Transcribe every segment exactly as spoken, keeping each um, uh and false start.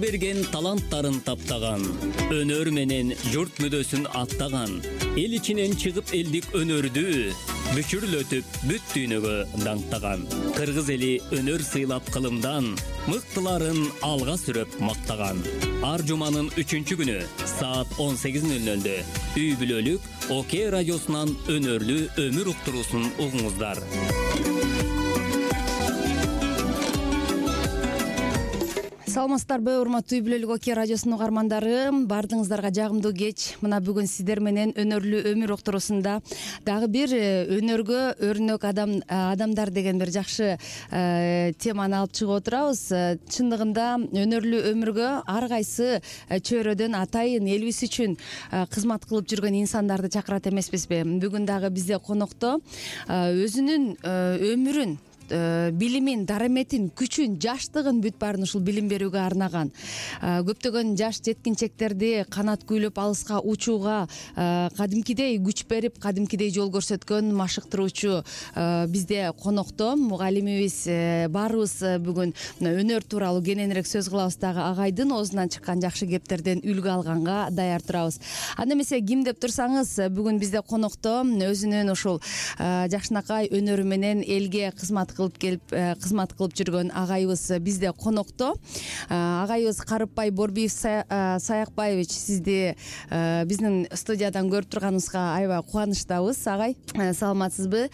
берген таланттарын таптаган, өнөр менен журт мүдөсүн аттаган, эл ичинен чыгып элдик өнөрдү бүчүрлөтүп бүт дүйнөгө даңктаган, кыргыз эли өнөр сыйлап кылымдан мыктыларын алга сүрөп мактаган. Ар жуманын үчүнчү күнү саат он сегиз нөл нөлдө үй бүлөлүк ОК радиосунан өнөрлүү өмүр уктуруусун угуңуздар. Саламатсыздарбы, урматтуу үй бүлөлүк ОК радиосунун угармандары, баардыгыңыздарга жагымдуу кеч. Мына бүгүн сиздер менен өнөрлүү өмүр уктуруусунда дагы бир өнөргө өрнөк адам адамдар деген бир жакшы теманы алып чыгып отурабыз. Чындыгында өнөрлүү өмүргө ар кайсы чөйрөдөн атайын элибиз үчүн кызмат кылып жүргөн инсандарды чакырат эмеспизби? Бүгүн дагы бизде конокто өзүнүн өмүрүн, билимин, дараметин, күчүн, жаштыгын бүт баарын ушул билим берүүгө арнаган, көптөгөн жаш жеткинчектерди канат күйлөп алыска учууга кадимкидей күч берип, кадимкидей жол көрсөткөн машыктыруучу бизде конокто. Мугалимибиз баарыбыз бүгүн өнөр тууралуу кененирээк сөз кылабыз дагы агайдын оозунан чыккан жакшы кептерден үлгү алганга даяр турабыз. Анда эмесе ким деп турсаңыз, бүгүн бизде конокто өзүнүн ушул жакшынакай өнөрү менен элге кызмат кылып келип кызмат кылып жүргөн агайыбыз бизде конокто. Агайыбыз Карыпбай Борбиев Саякбаевич, сизди биздин студиядан көрүп турганыбызга аябай кубанычтабыз. Агай, саламатсызбы?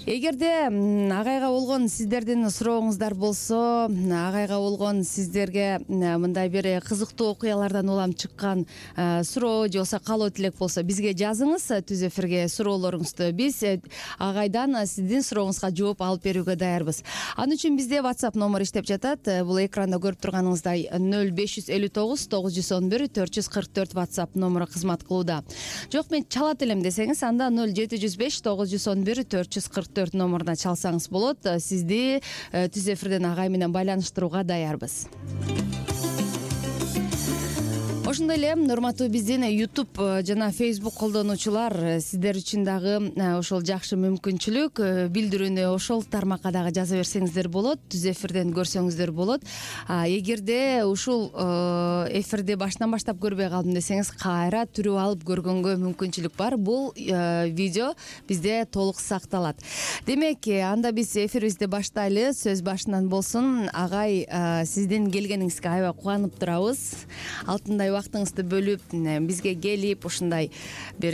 Эгерде агайга болгон сиздердин сурооңуздар болсо, агайга болгон сиздерге мындай бир кызыктуу окуялардан улам чыккан суроо же болбосо каалоо тилек болсо, бизге жазыңыз түз эфирге суроолоруңузду. Биз агайдан сиздин сурооңузга жооп алып берүүгө даярбыз. Ал үчүн бизде WhatsApp номер иштеп жатат. Бул экранда көрүп турганыңыздай нөл беш жүз элүү тогуз тогуз жүз он бир төрт жүз кырк төрт WhatsApp номеру кызмат кылууда. Жок, мен чалат элем десеңиз, анда нөл жети жүз беш тогуз жүз он бир төрт жүз кырк төрт номуруна чалсаңыз болот. Сизди түз эфирден агай менен байланыштырууга даярбыз. Ошондой эле урматтуу биздин YouTube жана Facebook колдонуучулар, сиздер үчүн дагы ошол жакшы мүмкүнчүлүк, билдирүүнү ошол тармакка дагы жаза берсеңиздер болот, түз эфирден көрсөңүздөр болот. Эгерде ушул эфирди башынан баштап көрбөй калдым десеңиз, кайра түрүп алып көргөнгө мүмкүнчүлүк бар. Бул видео бизде толук сакталат. Демек, анда биз эфирибизди баштайлы. Сөз башынан болсун. Агай, сиздин келгениңизге аябай кубанып турабыз. Алтындай вактыңызды бөлүп бизге келип, ушундай бир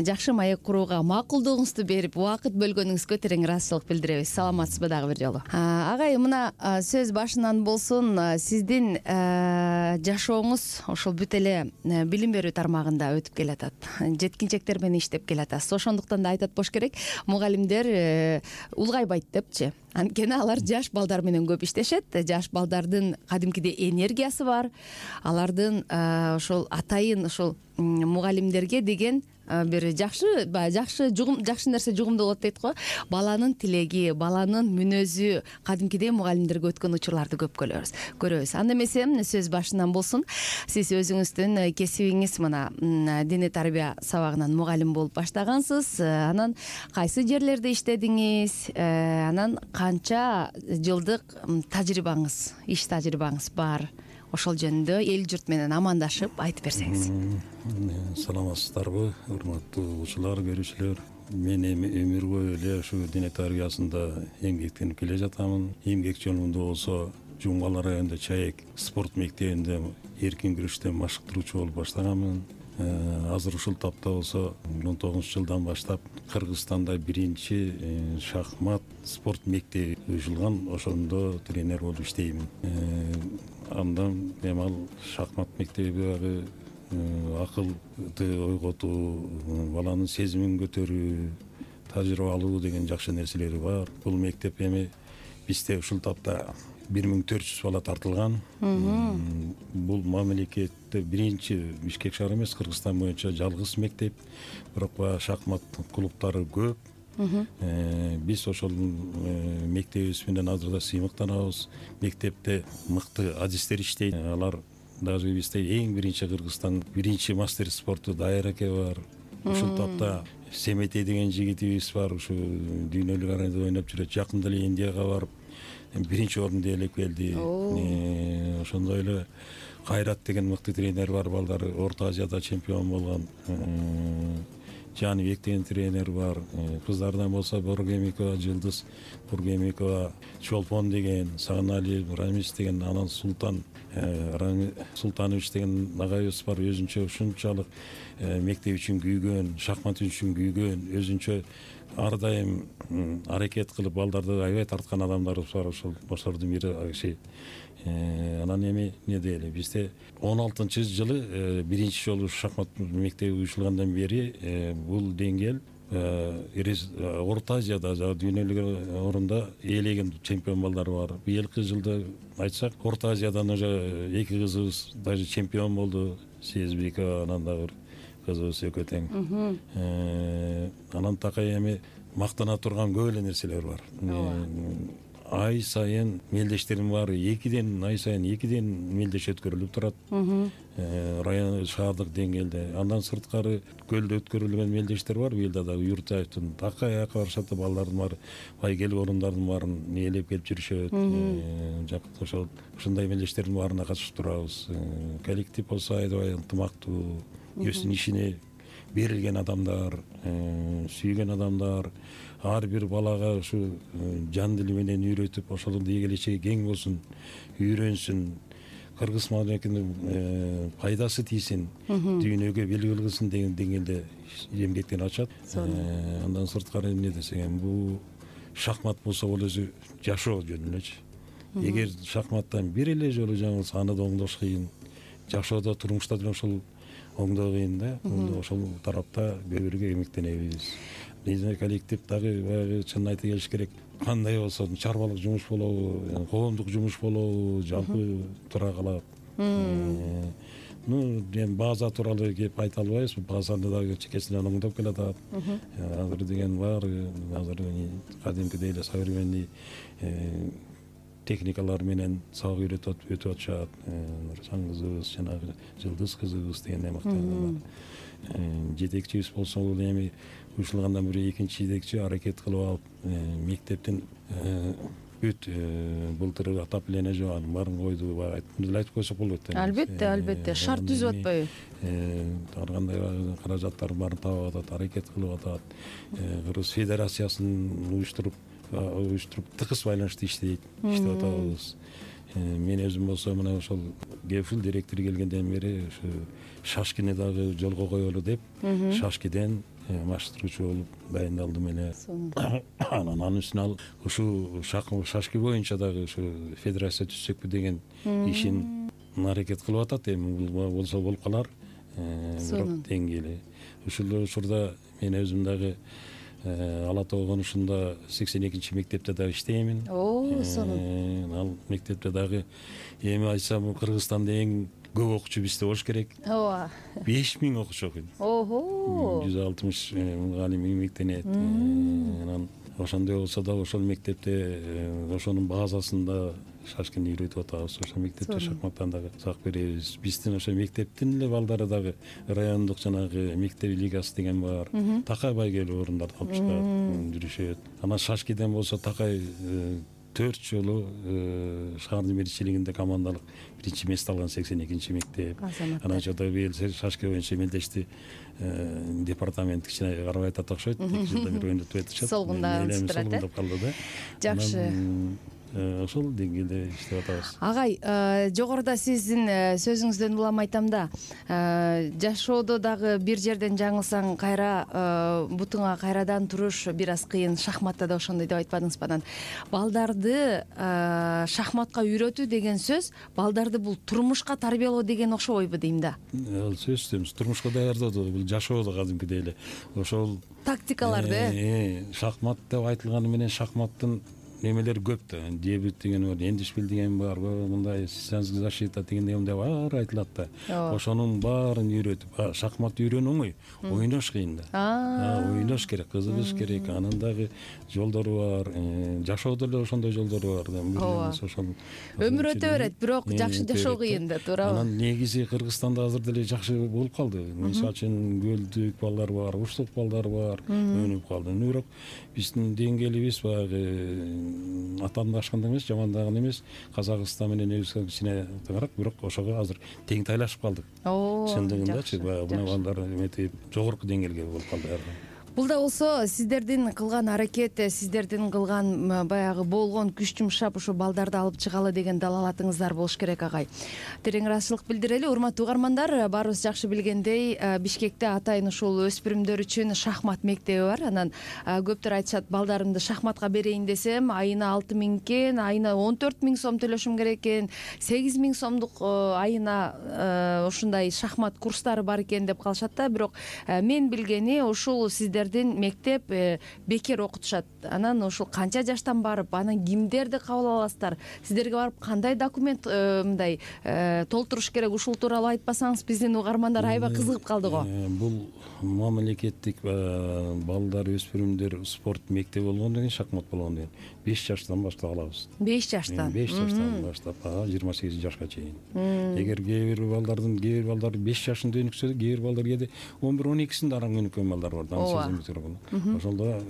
жакшы маек курууга макулдугуңузду берип, убакыт бөлгөнүңүзгө терең ыраазычылык билдиребиз. Саламатсызбы дагы бир жолу? Агай, мына сөз башынан болсун. Сиздин жашооңуз ошол бүт эле билим берүү тармагында өтүп келатат. Жеткинчектер менен иштеп келатасыз. Ошондуктан да айтат болуш керек, мугалимдер улгайбайт депчи. Анткени алар жаш балдар менен көп иштешет. Жаш балдардын кадимкидей энергиясы бар. Алардын ошол атайын ошол мугалимдерге деген бир жакшы жакшы жугум жакшы нерсе жугумдуу болот дейт го. Баланын тилеги, баланын мүнөзү кадимкидей мугалимдерге өткөн учурларды көп көрөбүз. Көрөбүз. Анда эмесе сөз башынан болсун. Сиз өзүңүздүн кесибиңиз мына диний тарбия сабагынан мугалим болуп баштагансыз. Анан кайсы жерлерде иштедиңиз? Анан канча жылдык тажрыйбаңыз, иш тажрыйбаңыз бар? Ошол жөнүндө эл журт менен амандашып айтып берсеңиз. Саламатсыздарбы, урматтуу угуучулар, көрүүчүлөр. Мен эми өмүргө эле ушу диний тарбиясында эмгектенип келе жатамын. Эмгек жолунда болсо Жумгал районунда Чаек спорт мектебинде эркин күрөштөн машыктыруучу болуп баштаганмын. Азыр ушул тапта болсо он тогузунчу жылдан баштап Кыргызстанда биринчи шахмат спорт мектеби ачылган, ошондо тренер болуп иштейм. Андан эми ал шахмат мектеби дагы акылды ойготуу, баланын сезимин көтөрүү, тажрыйба алуу деген жакшы нерселери бар. Бул мектеп эми бизде ушул тапта бир миң төрт жүз бала тартылган. Бул мамлекетте биринчи Бишкек шаары эмес, Кыргызстан боюнча жалгыз мектеп. Бирок шахмат клубтары көп. Биз ошол мектебибиз менен азыр да сыймыктанабыз. Мектепте мыкты адистер иштейт. Алар даже бизде эң биринчи Кыргызстан биринчи мастер спорту Дайыр эке бар. Ушул тапта Семетей деген жигитибиз бар, ушу дүйнөлүк аренада ойноп жүрөт. Жакында эле Индияга барып биринчи орунду ээлеп келди. Ошондой эле Кайрат деген мыкты тренер бар, балдары Орто Азияда чемпион болгон. Жаныбек деген тренер бар. Кыздардан болсо Бургемикова Жылдыз, Бургемикова Чолпон деген, Сагыналиев Рамис деген, анан Султан Султанович деген агайыбыз бар. Өзүнчө ушунчалык мектеп үчүн күйгөн, шахмат үчүн күйгөн, өзүнчө ар дайым аракет кылып балдарды аябай тарткан адамдарыбыз бар. Ошол бошордун бири киши. Анан эми эмне дейли, бизде он алтынчы жылы биринчи жолу шахмат мектеби уюштургандан бери бул деңгээл Орто Азияда, дүйнөлүк орунда ээлеген чемпион балдар бар. Быйылкы жылда айтсак, Орто Азиядан уже эки кызыбыз даже чемпион болду. Сезбекова, анан дагы кызыбыз экөө тең. Анан такай эми мактана турган көп эле нерселер бар. Ай сайын мелдештердин баары экиден ай сайын экиден мелдеш өткөрүлүп турат. Район шаардык деңгээлде. Андан сырткары көлдө өткөрүлгөн мелдештер бар. Быйылда да Юртаевдин такай аяка барышат, балдардын баары байгелик орундардын баарын ээлеп келип жүрүшөт. Жакында ошол ушундай мелдештердин баарына катышып турабыз. Коллектив болсо аябай ынтымактуу, өзүнүн ишине берилген адамдар, сүйгөн адамдар. Ар бир балага ушу жан дили менен үйрөтүп, ошонун келечеги кең болсун, үйрөнсүн, кыргыз мамлекетине пайдасы тийсин, дүйнөгө белгилүү кылсын деген деңгээлде эмгектен ачат. Андан сырткары эмне десек эми, бул шахмат болсо бул өзү жашоо жөнүнө элечи. Эгер шахматтан бир эле жолу жаңылса, аны да оңдош кыйын. Жашоодо, турмушта деле ошол оңдоо кыйын да. Ошол тарапта көбүрөөк эмгектенебиз. Биздин коллектив дагы баягы чынын айта келиш керек. Кандай болсо чарбалык жумуш болобу, коомдук жумуш болобу, жалпы тура калат. Ну, эми база тууралуу кеп айта албайбыз. Базаны дагы чекесинен оңдоп келатат. Азыр деген бар, азыр кадимкидей эле современный техникалар менен сабак үйрөтүп өтүп атышат. Нурсан кызыбыз, жанагы Жылдыз кызыбыз деген мактанат. Жетекчибиз болсо, бул эми уюштургандан бери экинчи жетекчи аракет кылып алып, мектептин бүт былтыр отопление жабанын баарын койду. Эле айтып койсок болот. Албетте, албетте, шарт түзүп атпайбы? Ар кандай каражаттардын баарын таап атат, аракет кылып атат. Кыргыз Федерациясын уюштуруп, уюштуруп тыгыз байланышта иштейт, иштеп атабыз. Мен өзүм болсо мына ошол Гефил директор келгенден бери ушу Шашкини дагы жолго коелу деп, Шашкиден маштыруучу болуп дайындалдым эле. Анан анын үстүнө ал ушу Шашки боюнча дагы ушу федерация түзсөкпү деген ишин аракет кылып атат. Эми болсо болуп калар. Бирок деңгээли. Ушул учурда мен өзүм дагы Ала Тоо конушунда сексен экинчи мектепте дагы иштеймин. О, сонун. Ал мектепте дагы эми айтсам, Кыргызстанда эң көп окуучу бизде болуш керек. Ооба. беш миң окуучу окуйт. Ого. жүз алтымыш мугалим эмгектенет. Анан ошондой болсо да ошол мектепте ошонун базасында Шашкини үйрөтүп атабыз. Ошол мектепте шахматтан дагы сабак беребиз. Биздин ошо мектептин эле балдары дагы райондук жанагы мектеп лигасы деген бар. Такай байгелүү орундарды алып чыгат, жүрүшөт. Анан Шашкиден болсо такай төрт жолу шаардын биринчилигинде командалык биринчи место алган сексен экинчи мектеп. Анан жада быйыл Шашки боюнча мелдешти департамент кичине карабай атат окшойт. эки жылдан бери ойнотуп атышат. Солгундап калды да. Жакшы. Ошол деңгээлде иштеп атабыз. Агай, жогоруда сиздин сөзүңүздөн улам айтам да, жашоодо дагы бир жерден жаңылсаң кайра бутуңа кайрадан туруш бир аз кыйын. Шахматта да ошондой деп айтпадыңызбы? Анан балдарды шахматка үйрөтүү деген сөз, балдарды бул турмушка тарбиялоо деген окшобойбу дейм да. Ал сөзсүз турмушка даярдоо, бул жашоодо кадимкидей эле. Ошол тактикаларды. Шахмат деп айтылганы менен шахматтын немелер көп да. Дебют деген бар, эндишпил деген бар, мындай сенсация защита деген немелер бар айтылат да. Ошонун баарын үйрөтүп, шахмат үйрөнүү оңой, ойнош кыйын да. Ойнош керек, кызыгыш керек. Анын дагы жолдору бар, жашоодо эле ошондой жолдору бар да. Өмүр өтө берет, бирок жакшы жашоо кыйын да, туурабы? Анан негизи Кыргызстанда азыр деле жакшы болуп калды. Мисалы үчүн көлдүк балдар бар, уштук балдар бар, өнүп калды. Бирок биздин деңгээлибиз баягы атаандашкан эмес, жамандаган эмес. Казакстан менен Өзбекстан кичине тыгыраак, бирок ошого азыр тең тайлашып калдык. Чындыгындачы баягы мына балдар эметип жогорку деңгээлге болуп калды. Бул да болсо сиздердин кылган аракет, сиздердин кылган баягы болгон күч жумшап ушу балдарды алып чыгалы деген далалатыңыздар болуш керек агай. Терең ыраазычылык билдирели. Урматтуу угармандар, баарыбыз жакшы билгендей, Бишкекте атайын ушул өспүрүмдөр үчүн шахмат мектеби бар. Анан көптөр айтышат, балдарымды шахматка берейин десем, айына алты миң экен, айына он төрт миң сом төлөшүм керек экен, сегиз миң сомдук айына ушундай шахмат курстары бар экен деп калышат да. Бирок мен билгени ушул сиздер мектеп бекер окутушат. Анан ушул канча жаштан барып, анан кимдерди кабыл аласыздар? Сиздерге барып кандай документ мындай толтуруш керек? Ушул тууралуу айтпасаңыз, биздин угармандар аябай кызыгып калды го. Бул мамлекеттик балдар, өспүрүмдөр спорт мектеби болгондон кийин, шахмат болгондон кийин беш жаштан баштап алабыз. беш жаштан. беш жаштан баштап жыйырма сегиз жашка чейин. Эгер кээ бир балдардын, кээ бир балдар беш жашында өнүксө, кээ бир балдар кээде он бир он экисинде араң өнүккөн балдар бар. Ошондо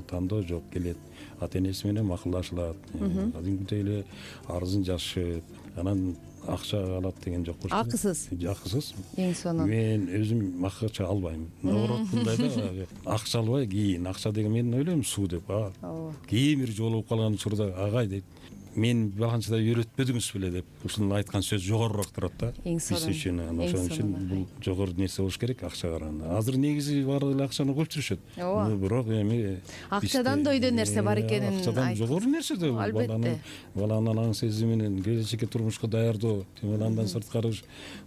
тандоо жок, келет, ата энеси менен макулдашылат, кадимкидей эле арызын жазышып, анан акча алат деген жок. Акысыз. Акысыз. Эң сонун. Мен өзүм акча албайм. Наоборот, мындай да, акча албай, кийин акча деген мен ойлойм суу деп. Кийин бир жолугуп калган учурда агай дейт, мен багынчыда үйрөтпөдүңүз беле деп, ушунун айткан сөз жогорураак турат да. Биз үчүн, ошон үчүн бул жогору нерсе болуш керек акчага караганда. Азыр негизи баары эле акчаны коюп жүрүшөт. Бирок эми акчадан да өйдө нерсе бар экенин айтты. Акчадан жогору нерсе да баланын, баланын аң сезими менен келечекке турмушка даярдоо, андан сырткары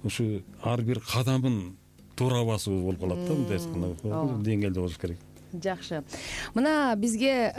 ушу ар бир кадамын туура басуу болуп калат да, мындай айтканда. Деңгээлде болуш керек. Жакшы. Мына бизге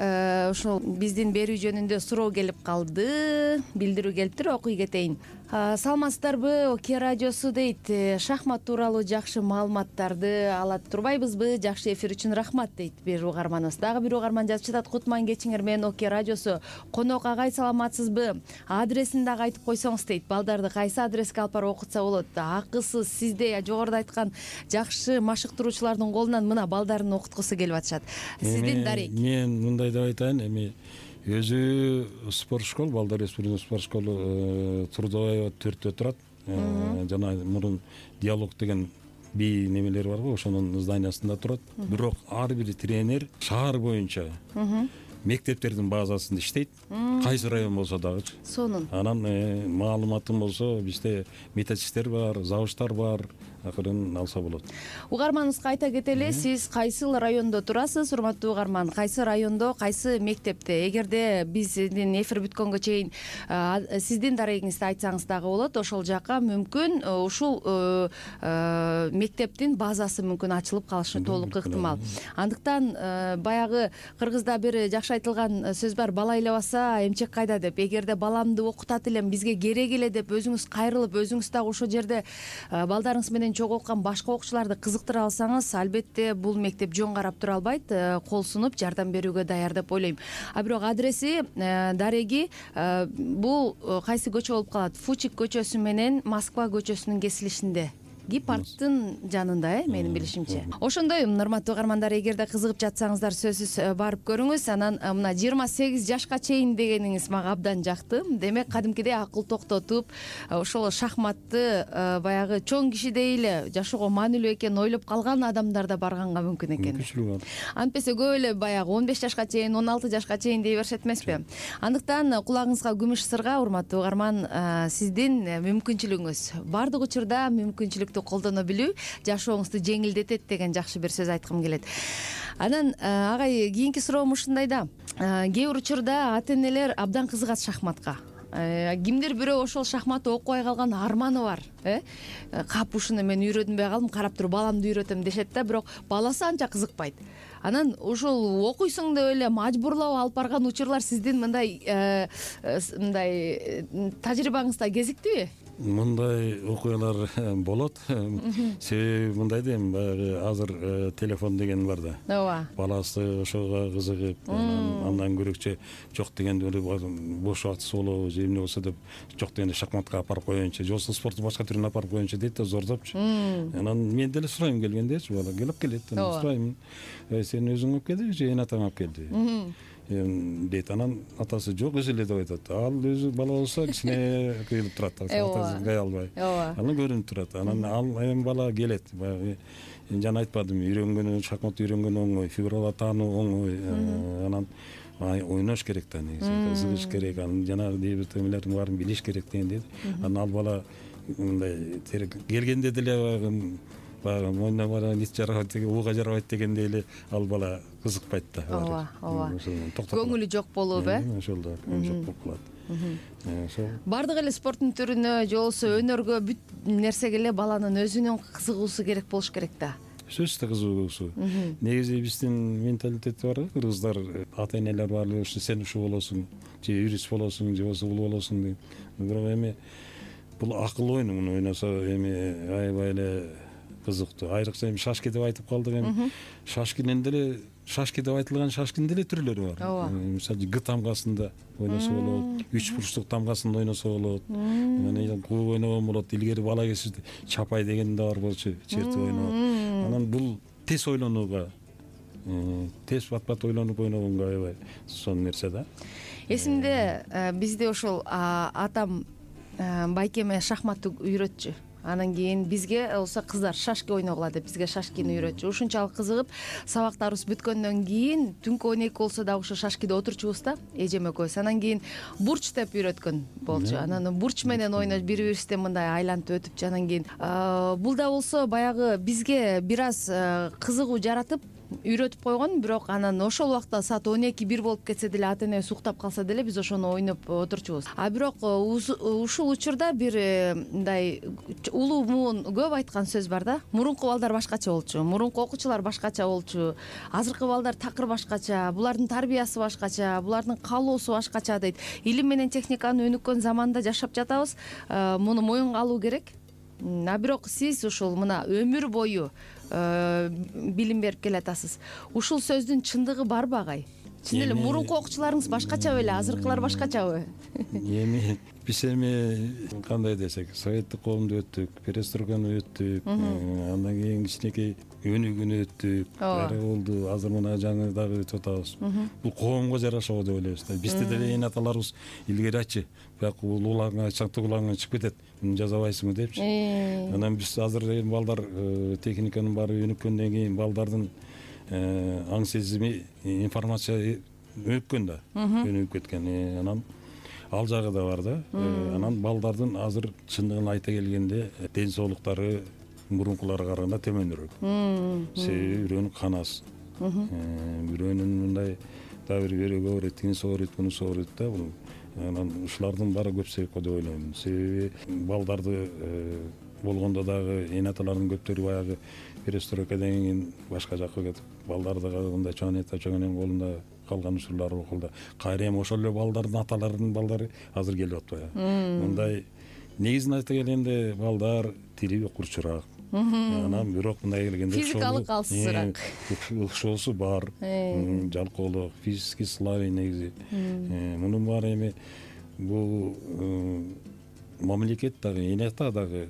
ушул биздин берүү жөнүндө суроо келип калды, билдирүү келиптир, окуй кетейин. Саламатсыздарбы, Оке радиосу дейт, шахмат тууралуу жакшы маалыматтарды алат турбайбызбы? Жакшы эфир үчүн рахмат дейт бир угарманыбыз. Дагы бир угарман жазып жатат, кутман кечиңер, мен Оке радиосу. Конок агай, саламатсызбы? Адресин дагы айтып койсоңуз дейт. Балдарды кайсы адреске алып барып окутса болот? Акысыз, сиздей жогоруда айткан жакшы машыктыруучулардын колунан мына балдарын окуткусу келип атышат. Сиздин дарек. Мен мындай деп айтайын, эми өзү спорт школ, балдар өспүрүмдөр спорт школу Трудовая төрттө турат. Жана мурун диалог деген би немелер бар го, ошонун зданиясында турат. Бирок ар бир тренер шаар боюнча мектептердин базасында иштейт. Кайсы район болсо дагы. Сонун. Анан маалыматым болсо, бизде методисттер бар, завучтар бар. Акырын алса болот. Угарманыбызга айта кетели, сиз кайсыл райондо турасыз, урматтуу угарман? Кайсы райондо, кайсы мектепте? Эгерде биздин эфир бүткөнгө чейин сиздин дарегиңизди айтсаңыз дагы болот. Ошол жака мүмкүн ушул мектептин базасы мүмкүн ачылып калышы толук ыктымал. Андыктан баягы кыргызда бир жакшы айтылган сөз бар, бала ыйлабаса эмчек кайда деп. Эгерде баламды окутат элем, бизге керек эле деп өзүңүз кайрылып, өзүңүз дагы ошол жерде балдарыңыз менен чогуу окуган башка окуучуларды кызыктыра алсаңыз, албетте бул мектеп жөн карап тура албайт, кол сунуп жардам берүүгө даяр деп ойлойм. А бирок адреси, дареги бул кайсы көчө болуп калат? Фучик көчөсү менен Москва көчөсүнүн кесилишинде. Гипарктын жанында, э, менин билишимче. Ошондой, урматтуу угармандар, эгерде кызыгып жатсаңыздар, сөзсүз барып көрүңүз. Анан мына жыйырма сегиз жашка чейин дегениңиз мага абдан жакты. Демек, кадимкидей акыл токтотуп, ошол шахматты баягы чоң кишидей эле жашоого маанилүү экенин ойлоп калган адамдар да барганга мүмкүн экен. Мүмкүнчүлүгү бар. Антпесе көп эле баягы он беш жашка чейин, он алты жашка чейин дей беришет эмеспи? Андыктан кулагыңызга күмүш сырга, урматтуу угарман, сиздин мүмкүнчүлүгүңүз. Бардык учурда мүмкүнчүлүк колдоно билүү жашооңузду жеңилдетет деген жакшы бир сөз айткым келет. Анан агай, кийинки суроом ушундай да. Кээ бир учурда ата энелер абдан кызыгат шахматка. Кимдир бирөө ошол шахматты окубай калган арманы бар, э? Кап ушуну мен үйрөнбөй калдым, карап туруп баламды үйрөтөм дешет да, бирок баласы анча кызыкпайт. Анан ушул окуйсуң деп эле мажбурлап алып барган учурлар сиздин мындай мындай тажрыйбаңызда кезиктиби? Мындай окуялар болот. Себеби мындай дейм, баягы азыр телефон деген бар да. Ооба. Баласы ошого кызыгып, андан көрөкчө жок дегенде бош убактысы болобу, же эмне болсо деп жок дегенде шахматка алып барып коеюнчу, же болбосо спорттун башка түрүнө алып барып коеюнчу дейт да, зордопчу. Анан мен деле сурайм келгендечи, бала келип келет, сурайм. Сен өзүң алып келдиби же эн атаң алып келдиби? дейт. Анан атасы жок өзү эле деп айтат. Ал өзү бала болсо кичине кыйылып турат, атасы кыя албай. Анан көрүнүп турат. Анан ал эми бала келет. Баягы жана айтпадым, үйрөнгөнү, шахмат үйрөнгөнү оңой, фигуралар таануу оңой. Анан ойнош керек да, негизи кызыгыш керек, анан жанагы дей бир темелердин баарын билиш керек деген дейт. Анан ал бала мындай келгенде деле баягы баягы мойнуна бара ит жарабайт деген, ууга жарабайт дегендей эле ал бала кызыкпайт да. Ооба, ооба. Көңүлү жок болуп, э? Ошол да, көңүлү жок болуп калат. Ошол. Бардык эле спорттун түрүнө же болбосо өнөргө бүт нерсеге эле баланын өзүнүн кызыгуусу керек болуш керек да. Сөзсүз кызыгуусу. Негизи биздин менталитет бар, кыргыздар ата энелер баары ушу сен ушул болосуң, же юрист болосуң, же болбосо бул болосуң дейт. Бирок эми бул акыл ойну, муну ойносо эми аябай эле кызыктуу. Айрыкча эми шашки деп айтып калдык, эми шашкинин деле шашки деп айтылган шашкинин деле түрлөрү бар. Мисалы г тамгасында ойносо болот, үч бурчтук тамгасында ойносо болот, анан кууп ойногон болот. Илгери бала кезибизде чапай деген да бар болчу, чертип ойногон. Анан бул тез ойлонууга, тез бат-бат ойлонуп ойногонго аябай сонун нерсе да. Эсимде бизде ошол атам байкеме шахматты үйрөтчү. Анан кийин бизге болсо кыздар шашки ойногула деп бизге шашкини үйрөтчү. Ушунчалык кызыгып, сабактарыбыз бүткөндөн кийин түнкү он эки болсо дагы ошо шашкиде отурчубуз да, эжем экөөбүз. Анан кийин бурч деп үйрөткөн болчу. Анан бурч менен ойнош, бири-бирибизден мындай айлантып өтүп, анан кийин бул да болсо баягы бизге бир аз кызыгуу жаратып үйрөтүп койгон. Бирок анан ошол убакта саат он эки бир болуп кетсе деле, ата энебиз уктап калса деле биз ошону ойноп отурчубуз. А бирок ушул учурда бир мындай улуу муун көп айткан сөз бар да. Мурунку балдар башкача болчу, мурунку окуучулар башкача болчу, азыркы балдар такыр башкача, булардын тарбиясы башкача, булардын каалоосу башкача дейт. Илим менен техниканын өнүккөн заманда жашап жатабыз, муну моюнга алуу керек. А бирок сиз ушул мына өмүр бою билим берип келатасыз. Ушул сөздүн чындыгы барбы агай? Чын эле мурунку окуучуларыңыз башкача беле, азыркылар башкачабы? Эми биз эми кандай десек, советтик коомду өттүк, перестройканы өттүк, андан кийин кичинекей өнүгүүнү өттүк, баары болду. Азыр мына жаңы дагы өтүп атабыз. Бул коомго жараша го деп ойлойбуз да. Бизде деле эне аталарыбыз илгери айтчы, бияк улаңа, чаңтык улаңа чыгып кетет, муну жазабайсыңбы депчи. Анан биз азыр эми балдар техниканын баары өнүккөндөн кийин балдардын аң сезими, информация өнүккөн да, өнүгүп кеткен. Анан ал жагы да бар да. Анан балдардын азыр чындыгын айта келгенде ден соолуктары мурункуларга караганда төмөнүрөөк. Себеби бирөөнүн канасы, бирөөнүн мындай дагы бир бирөөгө ооруйт, тигинси ооруйт, мунусу ооруйт да. Бул анан ушулардын баары көп себеп го деп ойлойм. Себеби балдарды болгондо дагы эне аталардын көптөрү баягы перестройкадан кийин башка жакка кетип, балдарды мындай чоң эне чоң эненин колунда калган учурлар окулда. Кайра эми ошол эле балдардын аталарынын балдары азыр келип атпайбы? Мындай негизин айта келгенде балдар тили курчураак. Анан бирок мындай келгенде физикалык алсызыраак. Ошосу бар. Жалкоолук, физический слабый негизи. Мунун баары эми бул мамлекет дагы, эне ата дагы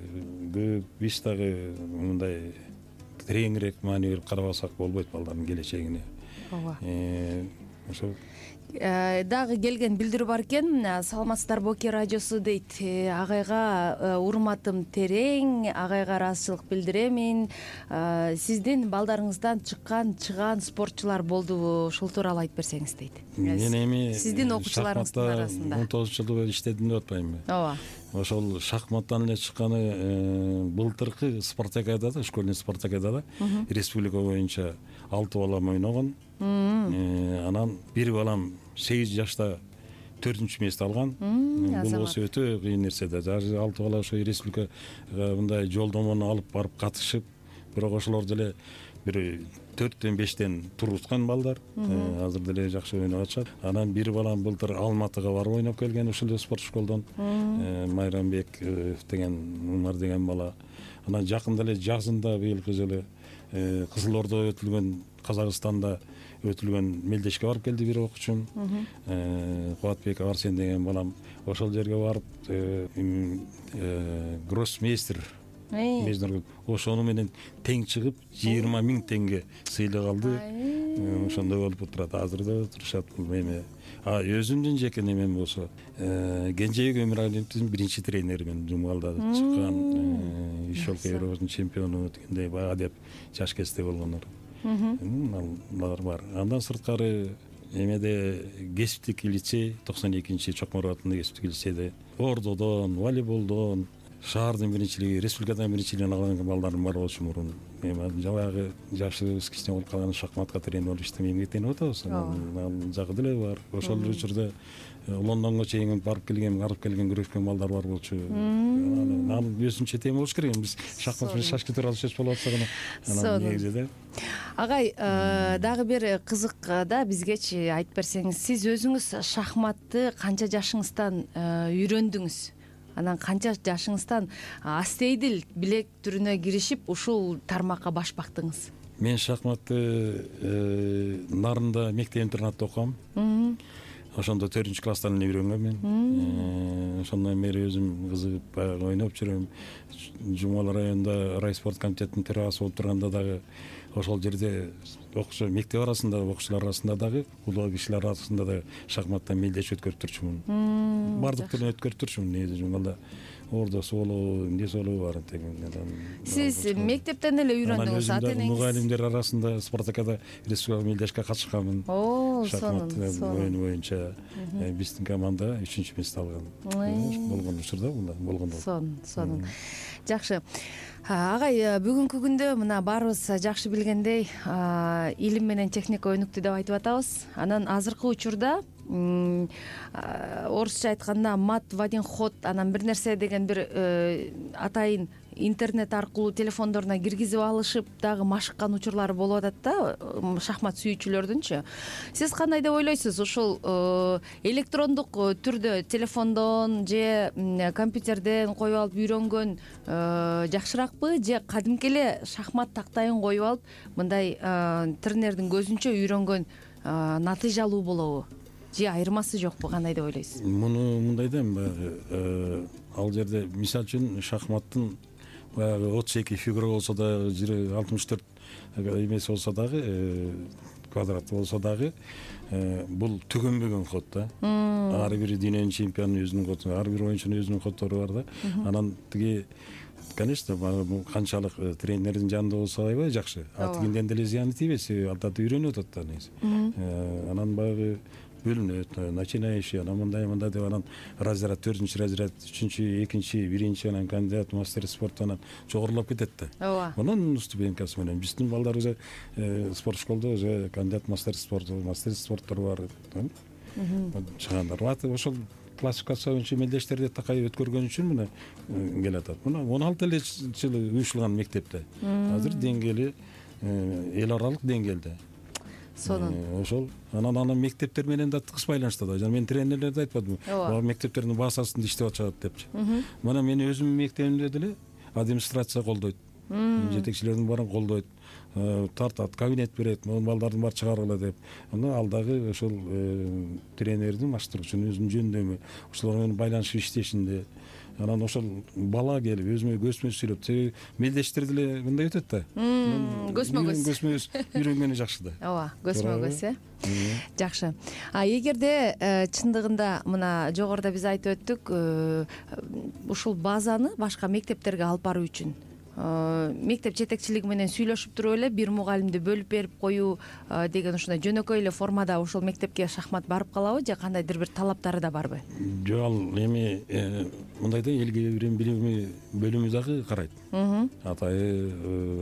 көп, биз дагы мындай тереңирээк маани берип карабасак болбойт балдардын келечегине. Ооба. Ошол дагы келген билдирүү бар экен. Саламатсыздарбы Оке радиосу дейт. Агайга урматым терең, агайга ыраазычылык билдиремин. Сиздин балдарыңыздан чыккан чыгаан спортчулар болдубу? Ушул тууралуу айтып берсеңиз дейт. Мен эми сиздин окуучуларыңыздын арасында он тогузунчу жылы иштедим деп атпаймынбы? Ооба. Ошол шахматтан эле чыкканы былтыркы спартакиадада, школьный спартакиадада республика боюнча алты балам ойногон. Анан бир балам сегиз жашта төртүнчү месте алган. Бул болсо өтө кыйын нерсе да. Алты бала ошо республикага мындай жолдомону алып барып катышып, бирок ошолор деле бир төрттөн бештен туруткан балдар. Азыр деле жакшы ойноп атышат. Анан бир балам былтыр Алматыга барып ойноп келген ушул эле спорт школдон. Майрамбек деген Умар деген бала. Анан жакында эле жазында быйылкы жылы Кызыл Ордо өтүлгөн, Казакстанда өтүлгөн мелдешке барып келди бир окуучум. Кубатбек Арсен деген балам ошол жерге барып гроссмейстер мейзнер ошону менен тең чыгып жыйырма миң теңге сыйлык алды. Ошондой болуп турат, азыр да турушат бул эме. А өзүмдүн жеке немем болсо Кенжебек Өмүралиевдин биринчи тренери, мен Жумгалда чыккан Ишолка Евровдун чемпиону дегендей бага деп жаш кезде болгондор. Алар бар. Андан сырткары эмеде кесиптик лицей, токсон экинчи Чокмору атындагы кесиптик лицейде ордодон, волейболдон, шаардын биринчилиги, республикадан биринчилигин алган балдарым бар болчу мурун. Эми жабагы жашыбыз кичине болуп калган шахматка тренер болуп иштеп эмгектенип атабыз. Ал жагы деле бар. Ошол учурда Лондонго чейин барып келген, барып келген, күрөшкөн балдар бар болчу. Анан өзүнчө тема болуш керек. Биз шахмат менен шашки тууралуу сөз болуп атсак, анан негизи да. Агай, дагы бир кызык да бизгечи айтып берсеңиз, сиз өзүңүз шахматты канча жашыңыздан үйрөндүңүз? Анан канча жашыңыздан астейдил билек түрүнө киришип ушул тармакка баш бактыңыз? Мен шахматты Нарында мектеп интернатта окугам. Ошондо төртүнчү класстан эле үйрөнгөм мен. Ошондон бери өзүм кызыгып баягы ойноп жүрөм. Жумала районунда райспорт комитетинин төрагасы болуп турганда дагы ошол жерде окуучу мектеп арасында, окуучулар арасында дагы, улуу кишилер арасында да шахматтан мелдеш өткөрүп турчумун. Бардык түрүн өткөрүп турчумун. Негизи Жумгалда ордосу болобу, эмнеси болобу баарын тегинден. Сиз мектептен эле үйрөндүңүз, ата энеңиз? Мугалимдер арасында Спартакиада республика мелдешке катышканмын. Шахмат оюну боюнча биздин команда үчүнчү месте алган. Болгон учурда болгондо. Сонун, сонун. Жакшы. Агай, бүгүнкү күндө мына баарыбыз жакшы билгендей, илим менен техника өнүктү деп айтып атабыз. Анан азыркы учурда орусча айтканда мат в один ход, анан бир нерсе деген бир атайын интернет аркылуу телефондоруна киргизип алышып дагы машыккан учурлары болуп атат да шахмат сүйүүчүлөрдүнчү. Сиз кандай деп ойлойсуз? Ушул электрондук түрдө телефондон же компьютерден коюп алып үйрөнгөн жакшыракпы, же кадимки эле шахмат тактайын коюп алып мындай тренердин көзүнчө үйрөнгөн натыйжалуу болобу? Же айырмасы жокпу? Кандай деп ойлойсуз? Муну мындай да, баягы ал жерде мисалы үчүн шахматтын баягы отуз эки фигура болсо да, алтымыш төрт эмеси болсо дагы, квадрат болсо дагы, бул түгөнбөгөн ход да. Ар бир дүйнөнүн чемпионунун өзүнүн коду, ар бир оюнчунун өзүнүн коддору бар да. Анан тиги, конечно, канчалык тренердин жанында болсо аябай жакшы. А тигинден деле зыяны тийбейт, себеби анда үйрөнүп атат да негизи. Анан баягы бөлүнөт, начинающий, анан мындай мындай деп, анан разряд, төртүнчү разряд, үчүнчү, экинчи, биринчи, анан кандидат, мастер спорт, анан жогорулап кетет да. Ооба. Анан ступенькасы менен биздин балдар уже спорт школдо уже кандидат, мастер спорт, мастер спорттор бар. Чыгандар. Ошол классификация боюнча мелдештерди такай өткөргөн үчүн мына келип атат. Мына он алты эле жылы уюштурулган мектепте. Азыр деңгээли эл аралык деңгээлде. Сонун. Ошол анан анан мектептер менен да тыгыз байланышта да. Жана мен тренерлерди айтпадымбы? Ооба, мектептердин базасында иштеп атышат депчи. Мына мен өзүмдүн мектебимде деле администрация колдойт. Жетекчилердин баарын колдойт. Тартат, кабинет берет, балдардын баары чыгаргыла деп. Анан ал дагы ошол тренердин, маштыруучунун өзүнүн жөндөмү, ошолор менен байланышып иштешинде. Анан ошол бала келип өзүмө көзмө сүйлөп, себеби мелдештер деле мындай өтөт да. Көзмө көз. Көзмө көз үйрөнгөнү жакшы да. Ооба, көзмө көз, э. Жакшы. А эгерде чындыгында мына жогоруда биз айтып өттүк, ушул базаны башка мектептерге алып баруу үчүн мектеп жетекчилиги менен сүйлөшүп туруп эле бир мугалимди бөлүп берип коюу деген ушундай жөнөкөй эле формада ошол мектепке шахмат барып калабы, же кандайдыр бир талаптары да барбы? Жок, ал эми мындай да, элге билими бөлүмү дагы карайт. Атайы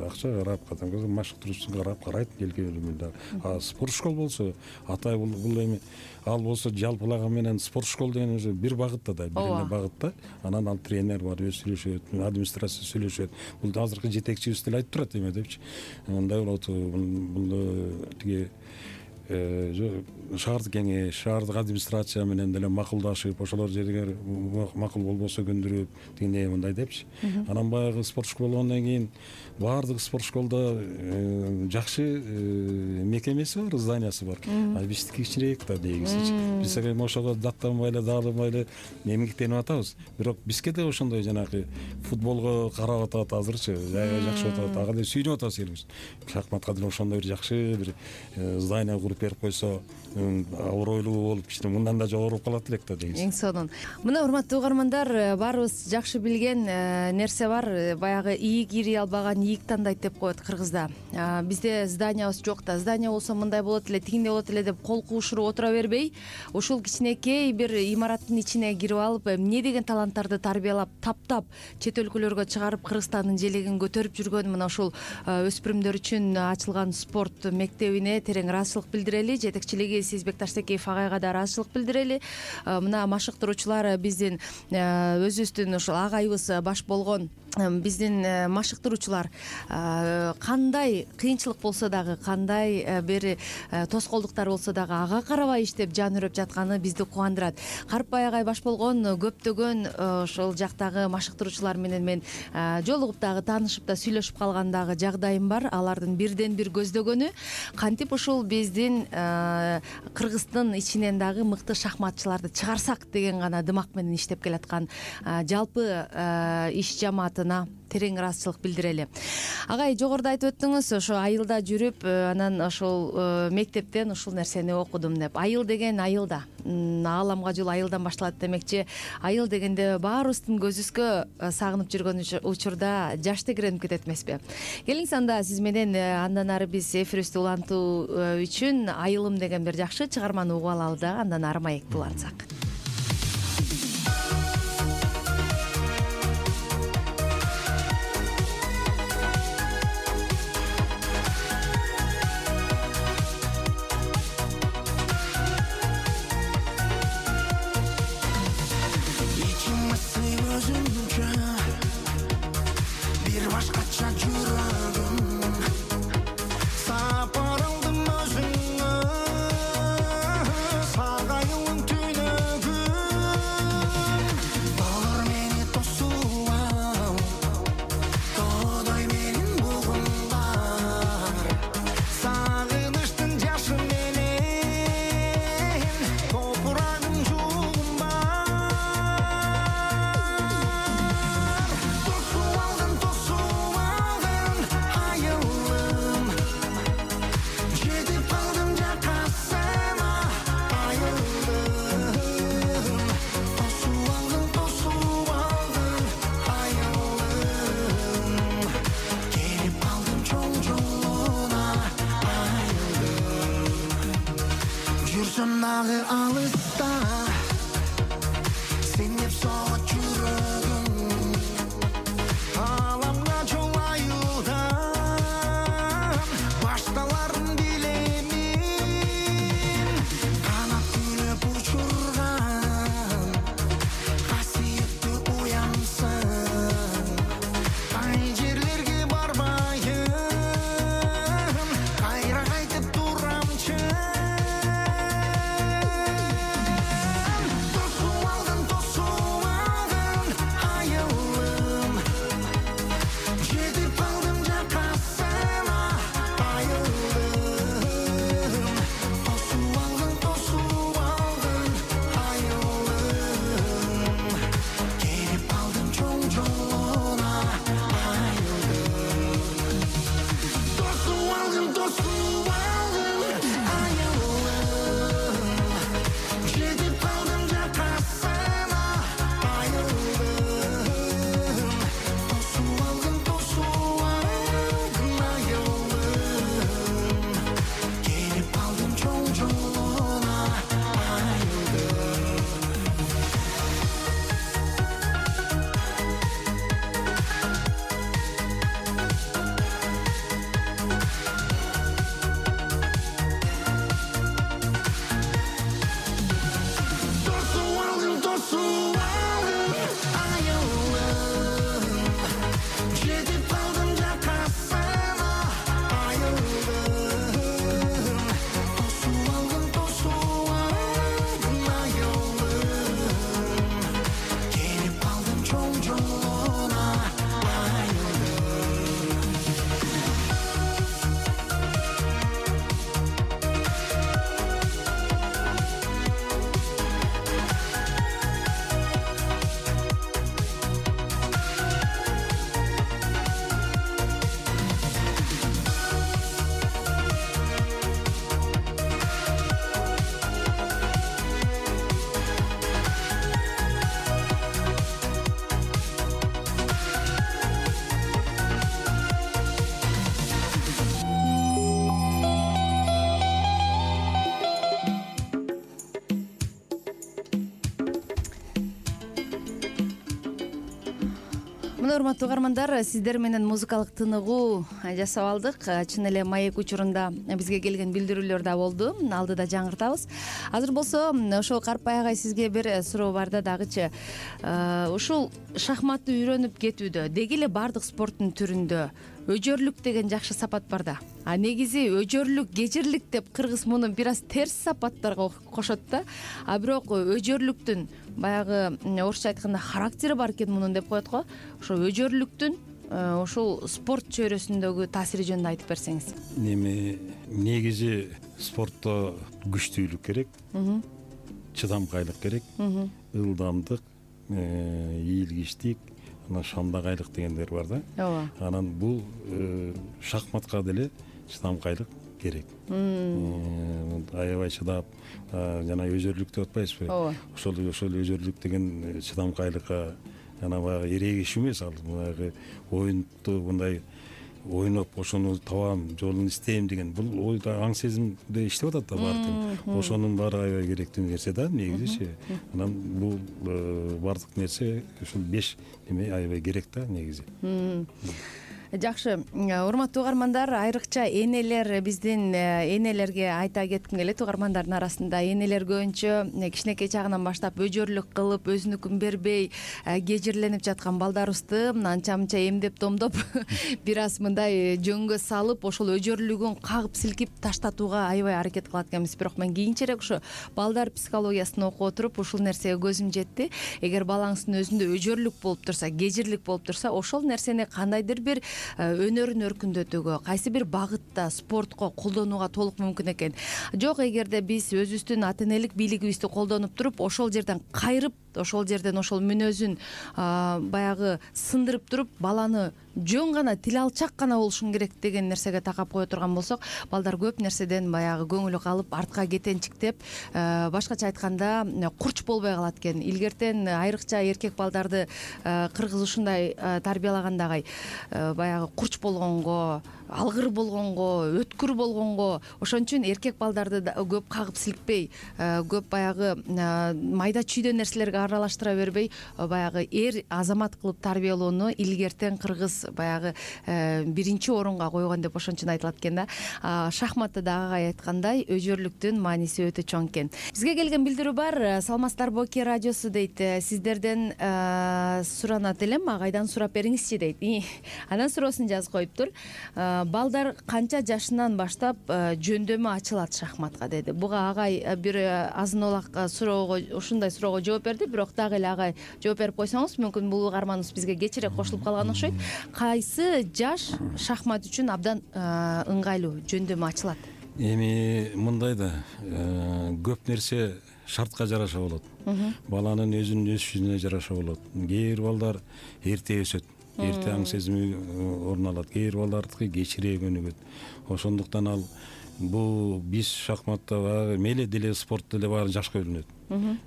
акча карап, кадимки машыктыруучусун карап карайт элге бөлүмү дагы. А спорт школ болсо, атайы бул бул эми ал болсо жалпылаган менен спорт школ деген уже бир багытта да, бир эле багытта. Анан ал тренер бар, өзү сүйлөшөт, администрация сүйлөшөт. Бул азыркы жетекчибиз деле айтып турат эме депчи. Мындай болот, бул тиги шаардык кеңеш, шаардык администрация менен деле макулдашып, ошолор жерге макул болбосо көндүрүп, тигиндей мындай депчи. Анан баягы спорт школа болгондон кийин баардык спорт школда жакшы мекемеси бар, зданиясы бар. А биздики кичинерээк да дегисичи. Биз эми ошого даттанбай эле, дааланбай эле эмгектенип атабыз. Бирок бизге да ошондой жанагы футболго карап атат азырчы, жакшы атат, ага деле сүйүнүп атабыз элибиз. Шахматка деле ошондой бир жакшы бир здание куруп берип койсо, абройлуу болуп кичине мындан да жогору калат элек да дегиз. Эң сонун. Мына урматтуу угармандар, баарыбыз жакшы билген нерсе бар. Баягы ийик ири албаган ийик тандайт деп коет кыргызда. Бизде зданиябыз жок да, здание болсо мындай болот эле, тигиндей болот эле деп кол куушуруп отура бербей, ушул кичинекей бир имараттын ичине кирип алып, эмне деген таланттарды тарбиялап, таптап, чет өлкөлөргө чыгарып, Кыргызстандын желегин көтөрүп жүргөн мына ушул өспүрүмдөр үчүн ачылган спорт мектебине терең ыраазычылык билдирели. Жетекчилиги Сезбек Таштекеев агайга да ыраазычылык билдирели. Мына машыктыруучулар биздин өзүбүздүн ушул агайыбыз баш болгон биздин машыктыруучулар кандай кыйынчылык болсо дагы, кандай бир тоскоолдуктар болсо дагы ага карабай иштеп жан үрөп жатканы бизди кубандырат. Карпбай агай баш болгон көптөгөн ошол жактагы машыктыруучулар менен мен жолугуп дагы таанышып да сүйлөшүп калган дагы жагдайым бар. Алардын бирден бир көздөгөнү кантип ушул биздин Кыргыздын ичинен дагы мыкты шахматчыларды чыгарсак деген гана дымак менен иштеп келаткан жалпы иш жамаатына терең ыраазычылык билдирели. Агай, жогоруда айтып өттүңүз, ошо айылда жүрүп, анан ошол мектептен ушул нерсени окудум деп. Айыл деген айылда, ааламга жол айылдан башталат демекчи. Айыл дегенде баарыбыздын көзүбүзгө сагынып жүргөн учурда жаш тегеренип кетет эмеспи? Келиңиз анда сиз менен андан ары биз эфирибизди улантуу үчүн Айылым деген бир жакшы чыгарманы угуп алалы да, андан ары маекти улантсак. Дагы алыста сен деп соғат жүрөгүм, ааламга жол айылдан башталарын билемин. Канат күлүп учурган касиеттүү уямсың, кай жерлерге барбайын, кайра кайтып турамчы. Tosu Мына урматтуу угармандар, сиздер менен музыкалык тыныгуу жасап алдык. Чын эле маек учурунда бизге келген билдирүүлөр да болду. Алдыда жаңыртабыз. Азыр болсо ошол Карпай агай сизге бир суроо бар да дагычы. Ушул шахматты үйрөнүп кетүүдө деги эле баардык спорттун түрүндө өжөрлүк деген жакшы сапат бар да. А негизи өжөрлүк, кежирлик деп кыргыз муну бир аз терс сапаттарга кошот да. А бирок өжөрлүктүн баягы орусча айтканда характери бар экен мунун деп коет го. Ошо өжөрлүктүн ушул спорт чөйрөсүндөгү таасири жөнүндө айтып берсеңиз. Эми негизи спортто күчтүүлүк керек, чыдамкайлык керек, ылдамдык, ийилгичтик, анан шамдагайлык дегендер бар да. Ооба. Анан бул шахматка деле чыдамкайлык керек. Аябай чыдап, жана өжөрлүк деп атпайсызбы? Ооба. Ошол ошол өжөрлүк деген чыдамкайлыкка жана баягы эрегиш эмес, ал баягы оюнду мындай ойноп ошону табам, жолун издейм деген бул ойда аң сезимде иштеп атат да баардыгы. Ошонун баары аябай керектүү нерсе да негизичи. Анан бул баардык нерсе ушул беш эме аябай керек да негизи. Жакшы, урматтуу угармандар, айрыкча энелер, биздин энелерге айта кетким келет. Угармандардын арасында энелер көбүнчө кичинекей чагынан баштап өжөрлүк кылып, өзүнүкүн бербей кежирленип жаткан балдарыбызды анча мынча эмдеп томдоп бир аз мындай жөнгө салып, ошол өжөрлүгүн кагып силкип таштатууга аябай аракет кылат экенбиз. Бирок мен кийинчерээк ушу балдар психологиясын окуп отуруп ушул нерсеге көзүм жетти. Эгер балаңыздын өзүндө өжөрлүк болуп турса, кежирлик болуп турса, ошол нерсени кандайдыр бир өнөрүн өркүндөтүүгө, кайсы бир багытта спортко колдонууга толук мүмкүн экен. Жок, эгерде биз өзүбүздүн ата энелик бийлигибизди колдонуп туруп, ошол жерден кайрып, ошол жерден ошол мүнөзүн баягы сындырып туруп, баланы жөн гана тил алчак гана болушуң керек деген нерсеге такап кое турган болсок, балдар көп нерседен баягы көңүлү калып, артка кетенчиктеп, башкача айтканда курч болбой калат экен. Илгертен айрыкча эркек балдарды кыргыз ушундай тарбиялагандагы баягы курч болгонго, алгыр болгонго, өткүр болгонго, ошон үчүн эркек балдарды көп кагып силкпей, көп баягы майда чүйдө нерселерге аралаштыра бербей, баягы эр азамат кылып тарбиялоону илгертен кыргыз баягы биринчи орунга койгон деп ошон үчүн айтылат экен да. Шахматта дагы агай айткандай өжөрлүктүн мааниси өтө чоң экен. Бизге келген билдирүү бар. Саламатсыздарбы Оке радиосу дейт. Сиздерден суранат элем, агайдан сурап бериңизчи дейт. Анан суроосун жазып коюптур. Балдар канча жашынан баштап жөндөмө ачылат шахматка деди. Буга агай бир азын олак суроого, ушундай суроого жооп берди, бирок дагы эле агай жооп берип койсоңуз, мүмкүн бул угарманыбыз бизге кечирээк кошулуп калган окшойт. Кайсы жаш шахмат үчүн абдан ыңгайлуу жөндөмө ачылат? Эми мындай да, көп нерсе шартка жараша болот. Баланын өзүнүн өсүшүнө жараша болот. Кээ бир балдар эрте өсөт, эрте аң сезими орун алат. Кээ бир балдардыкы кечирээк өнүгөт. Ошондуктан ал бул биз шахматта мейли деле спорт деле баары жашка бөлүнөт.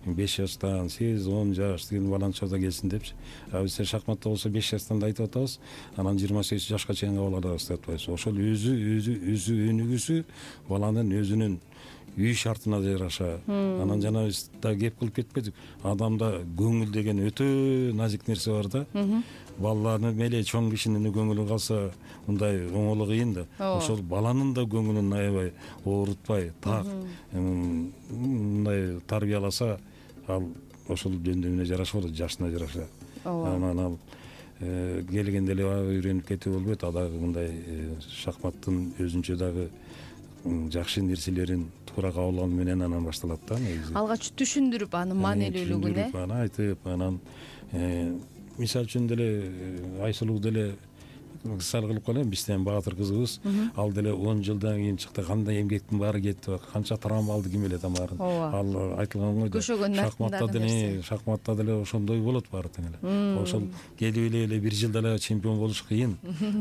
беш жаштан, сегиз он жаш деген баланчада келсин депчи. А биз шахматта болсо беш жаштан да айтып атабыз, анан жыйырма сегиз жашка чейин кабыл алабыз деп атпайбыз. Ошол өзү өзү өзү өнүгүүсү баланын өзүнүн үй шартына жараша. Анан жана биз да кеп кылып кетпедик. Адамда көңүл деген өтө назик нерсе бар да. Балаларны мейли чоң кишинин көңүлү калса, мындай оңолу кыйын да. Ошол баланын да көңүлүн аябай оорутпай, так мындай тарбияласа, ал ошол жөндөмүнө жараша болот, жашына жараша. Анан ал келгенде эле үйрөнүп кетүү болбойт. А дагы мындай шахматтын өзүнчө дагы жакшы нерселерин туура кабыл алуу менен анан башталат да негизи. Алгач түшүндүрүп анын маанилүүлүгүн, э? Аны айтып, анан мисалы үчүн деле Айсулуу деле мисал кылып коелу, бизден Баатыр кызыбыз, ал деле он жылдан кийин чыкты, кандай эмгектин баары кетти, канча травма алды, ким билет амарын. Ал айтылган го. Шахматта деле, шахматта деле ошондой болот баары тең эле. Ошол келип эле бир жылда эле чемпион болуш кыйын.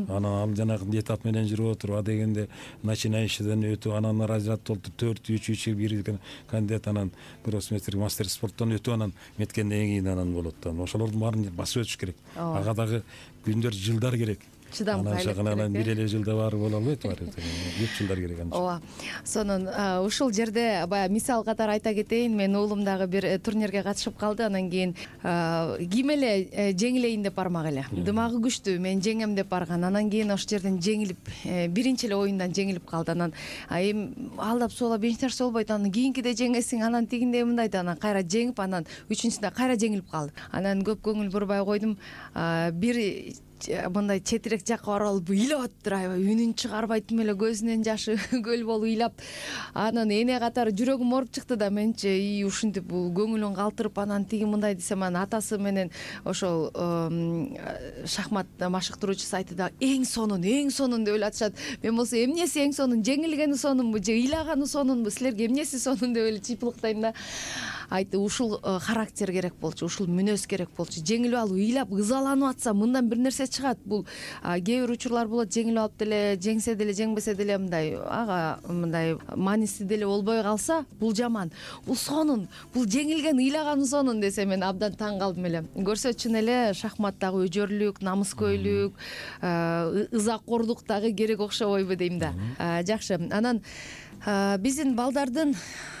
Анан ал жанагы этап менен жүрүп отуруп, а дегенде начинающийден өтүп, анан разряд болду төрт үч үч бир кандидат, анан гроссмейстер, мастер спорттон өтүп, анан меткенден кийин анан болот да. Ошолордун баарын басып өтүш керек. Ага дагы күндөр, жылдар керек. чыдам кайрат анан керек, бир эле жылда баары боло албайт, баары көп жылдар керек ан үчүн. ооба. Сонун ушул жерде баягы мисал катары айта кетейин, менин уулум дагы бир турнирге катышып калды, анан кийин ким эле жеңилейин деп бармак эле, дымагы күчтүү, мен жеңем деп барган, анан кийин ошол жерден жеңилип, биринчи эле оюндан жеңилип калды. Анан эми алдап соолап эч нерсе болбойт, анан кийинкиде жеңесиң, анан тигиндей мындай да, анан кайра жеңип, анан үчүнчүсүндө кайра жеңилип калды. Анан көп көңүл бурбай койдум, бир мындай четирээк жакка барып алып ыйлап атыптыр, аябай үнүн чыгарбайт эле, көзүнөн жашы көл болуп ыйлап. Анан эне катары жүрөгүм ооруп чыкты да, менчи и ушинтип бул көңүлүн калтырып, анан тиги мындай десем, анан атасы менен ошол шахмат машыктыруучусу айтты да, эң сонун, эң сонун деп эле атышат. Мен болсо эмнеси эң сонун, жеңилгени сонунбу же ыйлаганы сонунбу, силерге эмнеси сонун деп эле чыйпылыктайм да. Айтты, ушул характер керек болчу, ушул мүнөз керек болчу. Жеңилип алып, ыйлап, ызаланып атса, мындан бир нерсе чыгат. Бул кээ бир учурлар болот, жеңилип алып деле, жеңсе деле, жеңбесе деле мындай ага мындай мааниси деле болбой калса, бул жаман. Бул сонун, бул жеңилген, ыйлаганы сонун десе, мен абдан таң калдым эле. Көрсө чын эле шахматтагы өжөрлүк, намыскөйлүк, ызакордук дагы керек окшобойбу дейм да. Жакшы. Анан биздин балдардын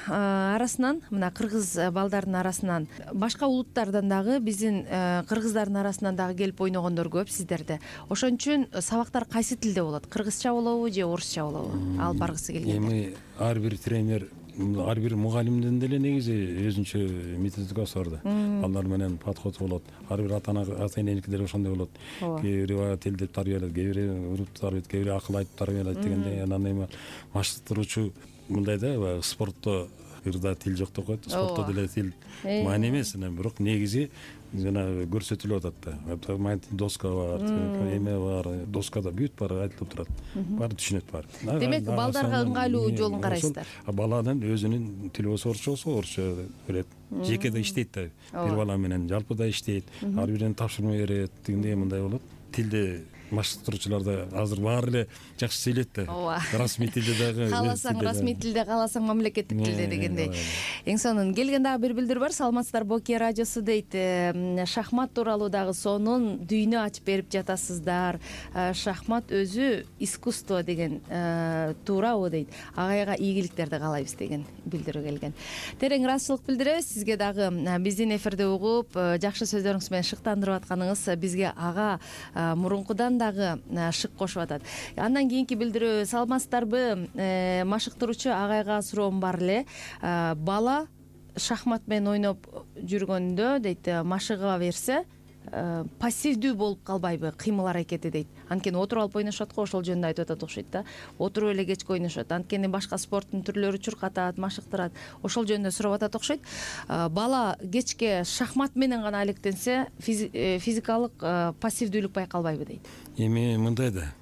арасынан, мына кыргыз балдардын арасынан, башка улуттардан дагы биздин кыргыздардын арасынан дагы келип ойногондор көп сиздерде. Ошон үчүн сабактар кайсы тилде болот? Кыргызча болобу же орусча болобу? Алып баргысы келгенде. Эми ар бир тренер, ар бир мугалимдин деле негизи өзүнчө методикасы бар да. Балдар менен подход болот. Ар бир ата ана ата эненики деле ошондой болот. Кээ бири тилдеп тарбиялайт, кээ бири уруп тарбиялайт, кээ бири акыл айтып тарбиялайт дегендей. Анан эми машыктыруучу мындай да, спортто ырда тил жок деп коет, спортто деле тил маани эмес, анан бирок негизи жана көрсөтүлүп атат да. Доска бар, эме бар, доскада бүт баары айтылып турат. Баары түшүнөт баары. Демек балдарга ыңгайлуу жолун карайсыздар. Баланын өзүнүн тили болсо орусча болсо орусча берет. Жеке да иштейт да. Бир бала менен жалпы да иштейт. Ар биринен тапшырма берет, дегендей мындай болот. Тилде машыктыруучулар да азыр баары эле жакшы сүйлөйт да. Ооба. Расмий тилде дагы. Кааласаң расмий тилде, кааласаң мамлекеттик тилде дегендей. Эң сонун келген дагы бир билдирүү бар. Саламатсыздарбы, Окия радиосу дейт. Шахмат тууралуу дагы сонун дүйнө ачып берип жатасыздар. Шахмат өзү искусство деген туурабы дейт. Агайга ийгиликтерди каалайбыз деген билдирүү келген. Терең ыраазычылык билдиребиз. Сизге дагы биздин эфирде угуп, жакшы сөздөрүңүз менен шыктандырып атканыңыз бизге ага мурункудан дагы шык кошуп атат. Андан кийинки билдирүү, саламатсыздарбы, машыктыруучу агайга суроом бар эле. Бала шахмат менен ойноп жүргөндө дейт, машыга берсе пассивдүү болуп калбайбы кыймыл аракети дейт. Анткени отуруп алып ойношот го, ошол жөнүндө айтып атат окшойт да. Отуруп эле кечке ойношот. Анткени башка спорттун түрлөрү чуркатат, машыктырат. Ошол жөнүндө сурап атат окшойт. Бала кечке шахмат менен гана алектенсе, физикалык пассивдүүлүк байкалбайбы дейт. Эми мындай да.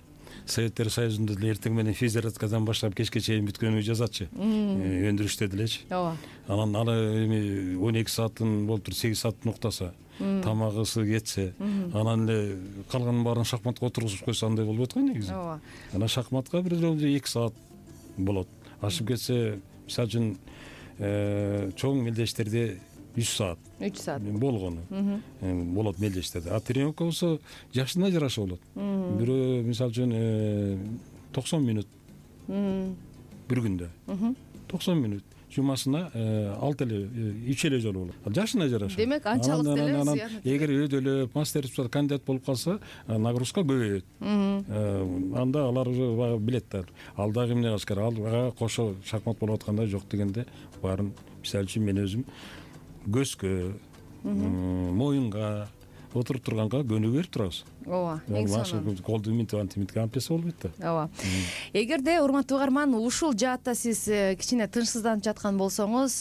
Советтер Союзунда деле эртең менен физзарядкадан баштап кечке чейин бүткөнү жазатчы. Өндүрүштө делечи. Ооба. Анан аны эми он эки саатын болуп туруп, сегиз сааттын уктаса, тамагысы кетсе, анан эле калганын баарын шахматка отургузуп койсо андай болбойт го негизи. Ооба. Анан шахматка бир эки саат болот. Ашып кетсе, мисалы үчүн чоң мелдештерде үч саат. үч саат болгону. Болот мелдештерде. А тренировка болсо жашына жараша болот. Бирөө мисалы үчүн токсон мүнөт. Бир күндө. токсон мүнөт. Жумасына алты эле, үч эле жолу болот. Жашына жараша. Демек анчалык деле зыян. Эгер өйдөлөп, мастерство кандидат болуп калса, нагрузка көбөйөт. Анда алар уже билет да. Ал дагы эмне кылыш керек? Ага кошо шахмат болуп атканда жок дегенде баарын, мисалы үчүн мен өзүм көзгө, моюнга, отуруп турганга көнүгүү берип турабыз. Ооба, эң сонун. Колду имитип, антимитип ампеса болбойт да. Ооба. Эгерде урматтуу угарман, ушул жаатта сиз кичине тынчсызданып жаткан болсоңуз,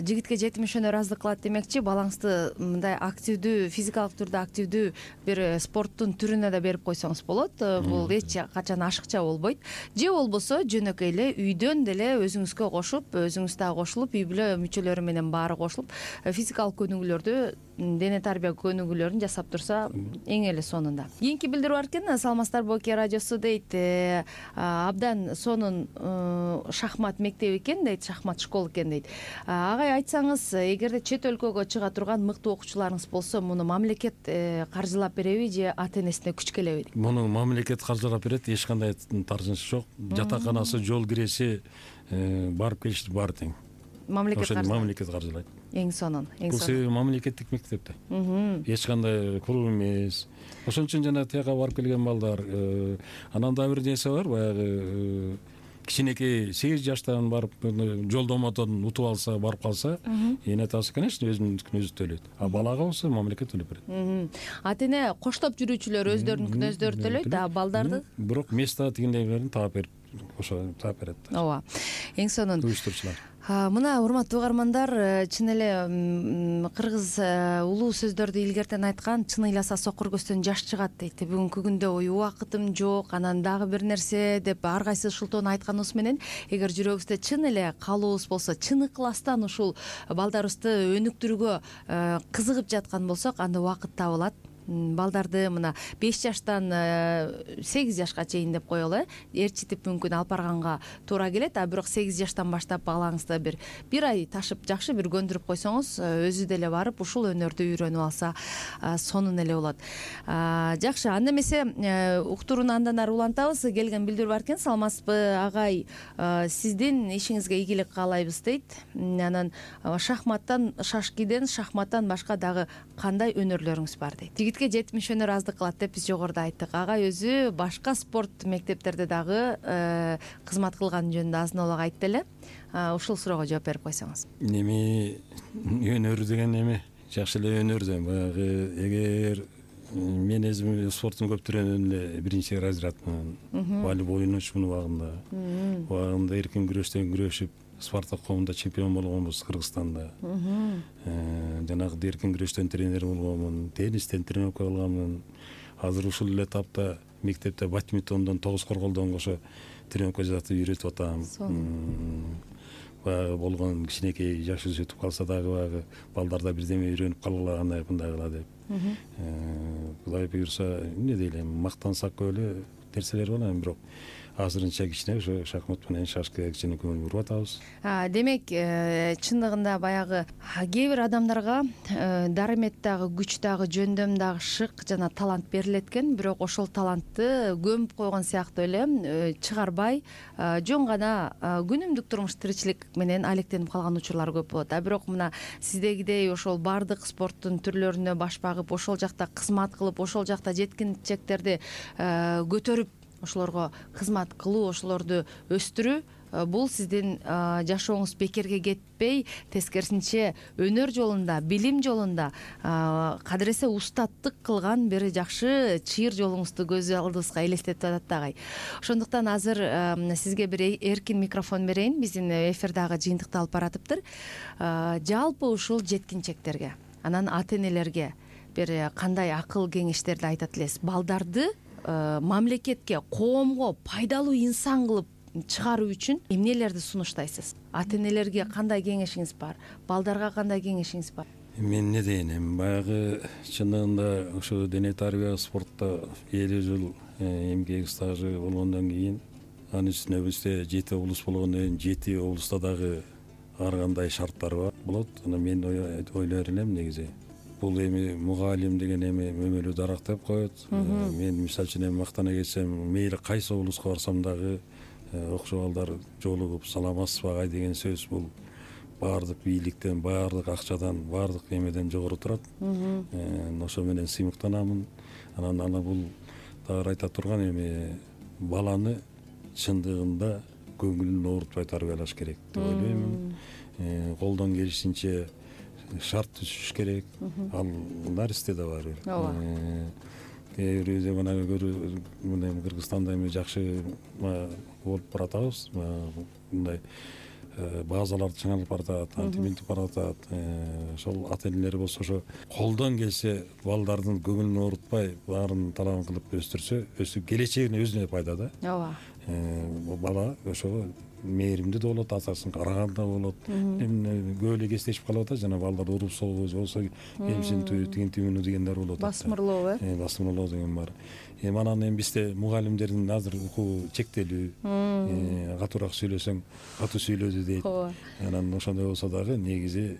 жигитке жетимишөөнө ыраазылык кылат демекчи, балаңызды мындай активдүү, физикалык түрдө активдүү бир спорттун түрүнө да берип койсоңуз болот. Бул эч качан ашыкча болбойт. Же болбосо жөнөкөй эле үйдөн деле өзүңүзгө кошуп, өзүңүз дагы кошулуп, үй бүлө мүчөлөрү менен баары кошулуп, физикалык көнүгүүлөрдү дене тарбия көнүгүүлөрүн жасап турса эң эле сонунда. Кийинки билдирүү бар экен, саламатсыздарбы Оке радиосу дейт, абдан сонун шахмат мектеби экен дейт, шахмат школа экен дейт. Агай, айтсаңыз, эгерде чет өлкөгө чыга турган мыктуу окуучуларыңыз болсо, муну мамлекет каржылап береби же ата энесине күч келеби? Муну мамлекет каржылап берет, эч кандай таржыныш жок. Жатаканасы, жол киреси, барып келиш баары тең. Мамлекет каржылайт. Мамлекет каржылайт. Эң сонун, эң сонун. Бул себеби мамлекеттик мектепте. Эч кандай пул эмес. Ошон үчүн жана тияка барып келген балдар, анан да бир нерсе бар, баягы кичинекей сегиз жаштан барып жолдомодон утуп алса, барып калса, эне атасы, конечно, өзүнүн өзү төлөйт. А балага болсо мамлекет төлөп берет. Ата эне коштоп жүрүүчүлөр өздөрүнүн өздөрү төлөйт, а балдарды бирок место тигиндейлерин таап берип, ошо таап берет. Ооба. Эң сонун. Уюштуручулар. Мына, урматтуу угармандар, чын эле кыргыз улуу сөздөрдү илгертен айткан, чын ыйласа сокур көздөн жаш чыгат дейт. Бүгүнкү күндө ой убакытым жок, анан дагы бир нерсе деп ар кайсы ушултон айтканыбыз менен, эгер жүрөгүбүздө чын эле каалообуз болсо, чын ыкластан ушул балдарыбызды өнүктүрүүгө кызыгып жаткан болсок, анда убакыт табылат. Балдарды мына беш жаштан сегиз жашка чейин деп коелу, ээрчитип мүмкүн алып барганга туура келет, а бирок сегиз жаштан баштап балаңызды бир бир ай ташып, жакшы бир көндүрүп койсоңуз, өзү деле барып ушул өнөрдү үйрөнүп алса, сонун эле болот. Жакшы, анда эмесе уктурууну андан ары улантабыз. Келген билдирүү бар экен, саламатсызбы агай, сиздин ишиңизге ийгилик каалайбыз дейт. Анан шахматтан, шашкиден, шахматтан башка дагы кандай өнөрлөрүңүз бар дейт. Жигитке жетимиш өнөр аздык кылат деп биз жогоруда айттык. Агай өзү башка спорт мектептерде дагы кызмат кылган жөнүндө азын-олак айтты эле. Ушул суроого жооп берип койсоңуз. Эми өнөр деген эме жакшы эле өнөр да. Баягы эгер мен өзүм спорттун көптүрөнүн эле биринчи разрядмын. Волейбол ойночумун убагында. Убагында эркин күрөштөн күрөшүп, Спартак коомунда чемпион болгонбуз Кыргызстанда. Жанагы эркин күрөштөн тренер болгонмун, теннистен тренировка кылганмын. Азыр ушул эле тапта мектепте бадминтондон, тогуз корголдон кошо тренировка жасатып үйрөтүп атам. Баягы болгон кичинекей жаш өтүп калса дагы баягы балдарда бирдеме үйрөнүп калгыла, андай мындай кыла деп. Кудай буйрса, эмне дейлем, мактансак эле нерселер бар, бирок азырынча кичине ошо шахмат менен шашкага кичине көңүл буруп атабыз. Демек, чындыгында баягы кээ бир адамдарга дарымет дагы, күч дагы, жөндөм дагы, шык жана талант берилет экен, бирок ошол талантты көмүп койгон сыяктуу эле чыгарбай, жөн гана күнүмдүк турмуш тиричилик менен алектенип калган учурлар көп болот. А бирок мына сиздегидей ошол баардык спорттун түрлөрүнө баш багып, ошол жакта кызмат кылып, ошол жакта жеткинчектерди көтөрүп, ошолорго кызмат кылуу, ошолорду өстүрүү, бул сиздин жашооңуз бекерге кетпей, тескерисинче өнөр жолунда, билим жолунда кадыресе устаттык кылган бир жакшы чыйыр жолуңузду көз алдыбызга элестетип атат агай. Ошондуктан азыр сизге бир эркин микрофон берейин, биздин эфирдагы жыйынтыкты алып баратыптыр. Жалпы ушул жеткинчектерге, анан ата энелерге бир кандай акыл кеңештерди айтат элесиз? Балдарды мамлекетке, коомго пайдалуу инсан кылып чыгаруу үчүн эмнелерди сунуштайсыз? Ата энелерге кандай кеңешиңиз бар? Балдарга кандай кеңешиңиз бар? Мен эмне дейин, эми баягы чындыгында ошо дене тарбия спортто элүү жыл эмгек стажы болгондон кийин, анын үстүнө бизде жети облус болгондон кийин жети облуста дагы ар кандай шарттар бар болот. Анан мен ойлор элем негизи бул эми мугалим деген эми өмүрү дарак деп коет. Мен мисалы үчүн эми мактана кетсем, мейли кайсы облуска барсам дагы окшо балдар жолугуп саламатсызбы агай деген сөз бул баардык бийликтен, баардык акчадан, баардык эмеден жогору турат. Ошо менен сыймыктанамын. Анан аны бул дагы айта турган эми баланы чындыгында көңүлүн оорутпай тарбиялаш керек деп ойлойм. Колдон келишинче шарт түзүш керек. Ал наристе да бар. Ооба. Кээ бир заманага көрү мындай Кыргызстанда эми жакшы болуп баратабыз. Мындай базаларды чыңалып баратат, антиминтип баратат. Ошол ата энелер болсо ошо колдон келсе балдардын көңүлүн оорутпай, баарын талабын кылып өстүрсө, өсүп келечегине өзүнө пайда да. Ооба. Бала ошого мээримдүү да болот, атасын караган да болот. Эми көп эле кездешип калып атат, жана балдар уруп согуу же болбосо эмсинтүү тигинтүүнү дегендер болуп атат. Басмырлоо э басмырлоо деген бар. Эми анан эми бизде мугалимдердин азыр укугу чектелүү, катуураак сүйлөсөң катуу сүйлөдү дейт. Анан ошондой болсо дагы негизи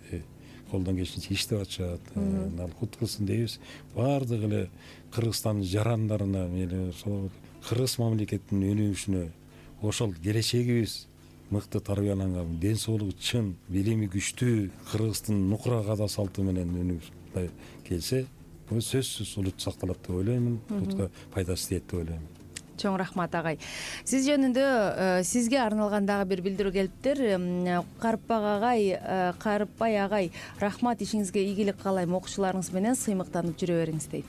колдон келишинче иштеп атышат. Ал кут кылсын дейбиз. Баардык эле Кыргызстандын жарандарына, мейли ошол кыргыз мамлекетинин өнүгүшүнө, ошол келечегибиз мыкты тарбияланган, ден соолугу чын, билими күчтүү Кыргыздын нукура када салты менен өнүгүп келсе, бул сөзсүз улут сакталат деп ойлоймун. Улутка пайдасы тиет деп ойлоймун. Чоң рахмат агай. Сиз жөнүндө сизге арналган дагы бир билдирүү келиптир. Карыпбай агай, Карыпбай агай, рахмат, ишиңизге ийгилик каалайм, окуучуларыңыз менен сыймыктанып жүрө бериңиз дейт.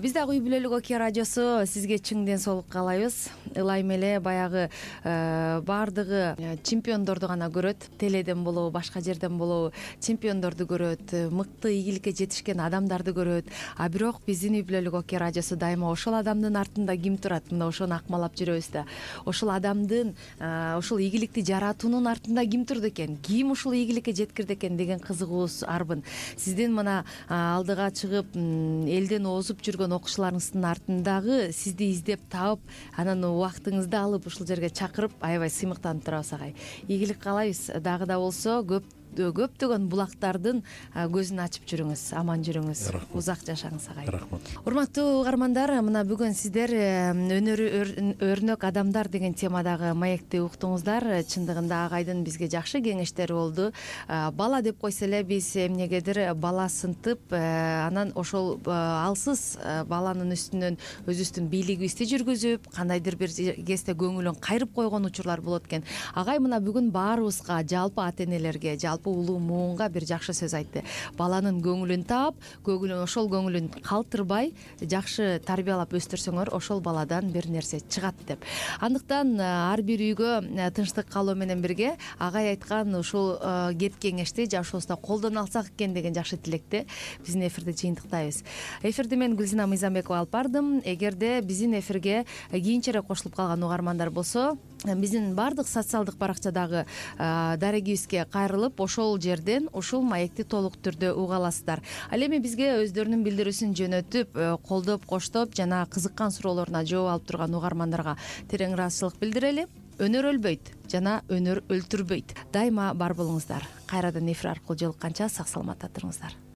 Биз дагы Үй бүлөлүк Оке радиосу сизге чың ден соолук каалайбыз. Ылайым эле баягы баардыгы чемпиондорду гана көрөт, теледен болобу, башка жерден болобу, чемпиондорду көрөт, мыкты ийгиликке жетишкен адамдарды көрөт. А бирок биздин Үй бүлөлүк Оке радиосу дайыма ошол адамдын артында ким турат? Мына ошону акмалап жүрөбүз да. Ошол адамдын, ошол ийгиликти жаратуунун артында ким турду экен, ким ушул ийгиликке жеткирди экен деген кызыгуубуз арбын. Сиздин мына алдыга чыгып элден озуп жүргөн окуучуларыңыздын артындагы сизди издеп таап, анан убактыңызды алып ушул жерге чакырып, аябай сыймыктанып турабыз агай. Ийгилик каалайбыз. Дагы да болсо көп көптөгөн булактардын көзүн ачып жүрүңүз, аман жүрүңүз, узак жашаңыз агай. Рахмат. Урматтуу угармандар, мына бүгүн сиздер өнөрү өрнөк адамдар деген темадагы маекти уктуңуздар. Чындыгында агайдын бизге жакшы кеңештери болду. Бала деп койсо эле биз эмнегедир бала сынтып, анан ошол алсыз баланын үстүнөн өзүбүздүн бийлигибизди жүргүзүп, кандайдыр бир кезде көңүлүн кайрып койгон учурлар болот экен. Агай мына бүгүн баарыбызга, жалпы ата энелерге, жалпы улуу муунга бир жакшы сөз айтты. Баланын көңүлүн таап, көңүлүн ошол көңүлүн калтырбай, жакшы тарбиялап өстүрсөңөр, ошол баладан бир нерсе чыгат деп. Андыктан ар бир үйгө тынчтык калуу менен бирге агай айткан ушул кеп кеңешти жашообузда колдоно алсак экен деген жакшы тилекте биздин эфирди жыйынтыктайбыз. Эфирди мен Гүлзина Мыйзамбекова алып бардым. Эгерде биздин эфирге кийинчерээк кошулуп калган угармандар болсо, биздин баардык социалдык баракчадагы дарегибизге кайрылып, ошол жерден ушул маекти толук түрдө уга аласыздар. Ал эми бизге өздөрүнүн билдирүүсүн жөнөтүп, колдоп, коштоп жана кызыккан суроолоруна жооп алып турган угармандарга терең ыраазычылык билдирели. Өнөр өлбөйт жана өнөр өлтүрбөйт. Дайыма бар болуңуздар. Кайрадан эфир аркылуу жолукканча сак саламатта туруңуздар.